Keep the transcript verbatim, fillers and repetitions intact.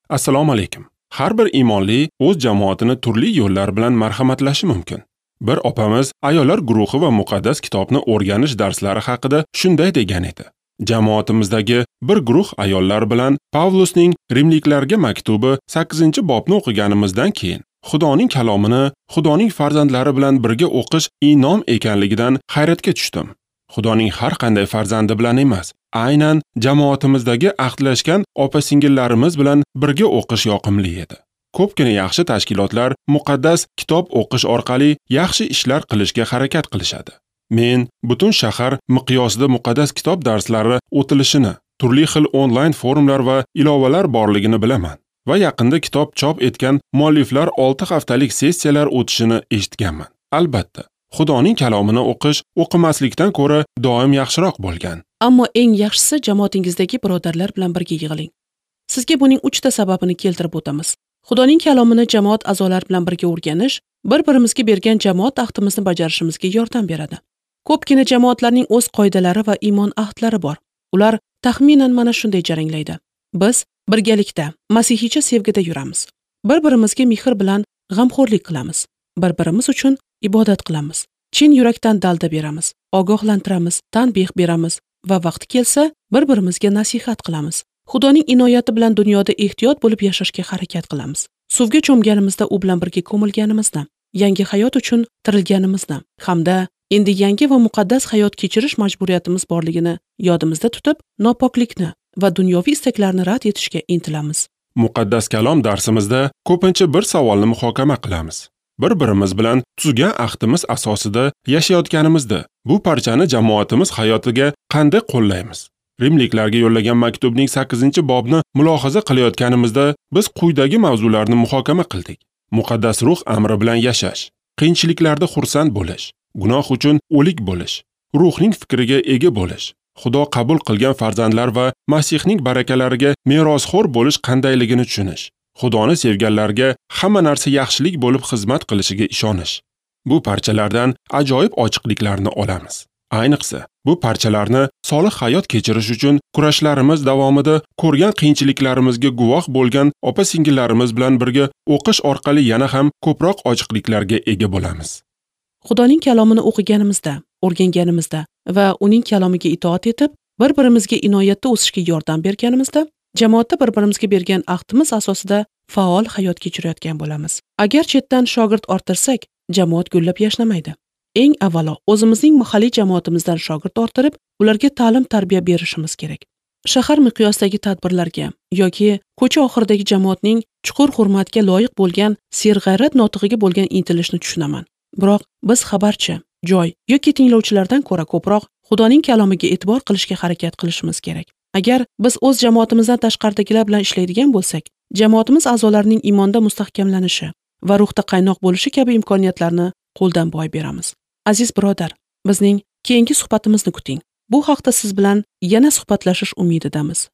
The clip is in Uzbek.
Assalomu alaykum. Har bir iymonli o'z jamoatini turli yo'llar bilan marhamatlashi mumkin. Bir opamiz ayollar guruhi va muqaddas kitobni o'rganish darslari haqida shunday degan edi. Jamoatimizdagi bir guruh ayollar bilan Pavlusning Rimliklarga maktubi sakkizinchi bobni o'qiganimizdan keyin Xudoning kalomini Xudoning farzandlari bilan birga o'qish inom ekanligidan hayratga tushdim. Xudoning har qanday farzandi bilan emas, aynan jamoatimizdagi ahdlashgan opa-singillarimiz bilan birga o'qish yoqimli edi. Ko'pgina yaxshi tashkilotlar muqaddas kitob o'qish orqali yaxshi ishlar qilishga harakat qilishadi. Men butun shahar miqyosida muqaddas kitob darslari o'tilishini, turli xil onlayn forumlar va ilovalar borligini bilaman va yaqinda kitob chop etgan mualliflar olti haftalik sessiyalar o'tishini eshitganman. Albatta, Xudoning kalomini o'qish o'qimaslikdan ko'ra doim yaxshiroq bo'lgan. Ammo eng yaxshisi jamoatingizdagi birodarlar bilan birga yig'iling. Sizga buning uchta sababini keltirib o'tamiz. Xudoning kalomini jamoat a'zolari bilan birga o'rganish bir-birimizga bergan jamoat ahdimizni bajarishimizga yordam beradi. Ko'pgina jamoatlarning o'z qoidalari va iymon ahdlari bor. Ular taxminan mana shunday jaranglaydi. Biz birgalikda masihiycha sevgida yuramiz. Bir-birimizga mehr bilan g'amxo'rlik qilamiz. Bir-birimiz uchun ibodat qilamiz. Chin yurakdan dalda beramiz, ogohlantiramiz, tanbeh beramiz va vaqti kelsa bir-birimizga nasihat qilamiz. Xudoning inoyati bilan dunyoda ehtiyot bo'lib yashashga harakat qilamiz. Suvga cho'mganimizda u bilan birga ko'milganimizni, yangi hayot uchun tirilganimizni hamda endi yangi va muqaddas hayot kechirish majburiyatimiz borligini yodimizda tutib, nopoklikni va dunyoviy istaklarni rad etishga intilamiz. Muqaddas kalom darsimizda ko'pincha bir savolni muhokama qilamiz. Bir-birimiz bilan tuzgan ahdimiz asosida yashayotganimizda bu parchani jamoatimiz hayotiga qanday qo'llaymiz? Rimliklarga yo'llagan maktubning sakkizinchi bobni mulohaza qilayotganimizda biz quyidagi mavzularni muhokama qildik. Muqaddas ruh amri bilan yashash, qiyinchiliklarda xursand bo'lish, gunoh uchun o'lik bo'lish, ruhning fikriga ega bo'lish, Xudo qabul qilgan farzandlar va Masihning barakalariga merosxo'r bo'lish qandayligini tushunish, Xudoni sevganlarga hamma narsa yaxshilik bo'lib xizmat qilishiga ishonish. Bu parchalardan ajoyib ochiqliklarni olamiz. Ayniqsa, bu parchalarni solih hayot kechirish uchun kurashlarimiz davomida ko'rgan qiyinchiliklarimizga guvoh bo'lgan opa-singillarimiz bilan birga o'qish orqali yana ham ko'proq ochiqliklarga ega bo'lamiz. Xudoning kalomini o'qiganimizda, o'rganganimizda va uning kalomiga itoat etib, bir-birimizga inoyatda o'sishga yordam berganimizda, jamoatda bir-birimizga bergan ahdimiz asosida faol hayot kechirayotgan bo'lamiz. Agar chetdan shogird orttirsak, jamoat gullab yashnamaydi. Eng avvalo o'zimizning mahalliy jamoatimizdan shogird orttirib, ularga ta'lim-tarbiya berishimiz kerak. Shahar miqyosidagi tadbirlarga yoki ko'cha oxiridagi jamoatning chuqur hurmatga loyiq bo'lgan serg'ayrat notig'iga bo'lgan intilishni tushunaman. Biroq biz xabarchi, joy yoki tinglovchilardan ko'ra ko'proq Xudoning kalomiga e'tibor qilishga harakat qilishimiz kerak. Agar biz o'z jamoatimizdan tashqaridagilar bilan ishlaydigan bo'lsak, jamoatimiz a'zolarining iymonda mustahkamlanishi va ruhda qaynoq bo'lishi kabi imkoniyatlarni qo'ldan boy beramiz. Aziz birodar, bizning keyingi suhbatimizni kuting. Bu haqda siz bilan yana suhbatlashish umididamiz.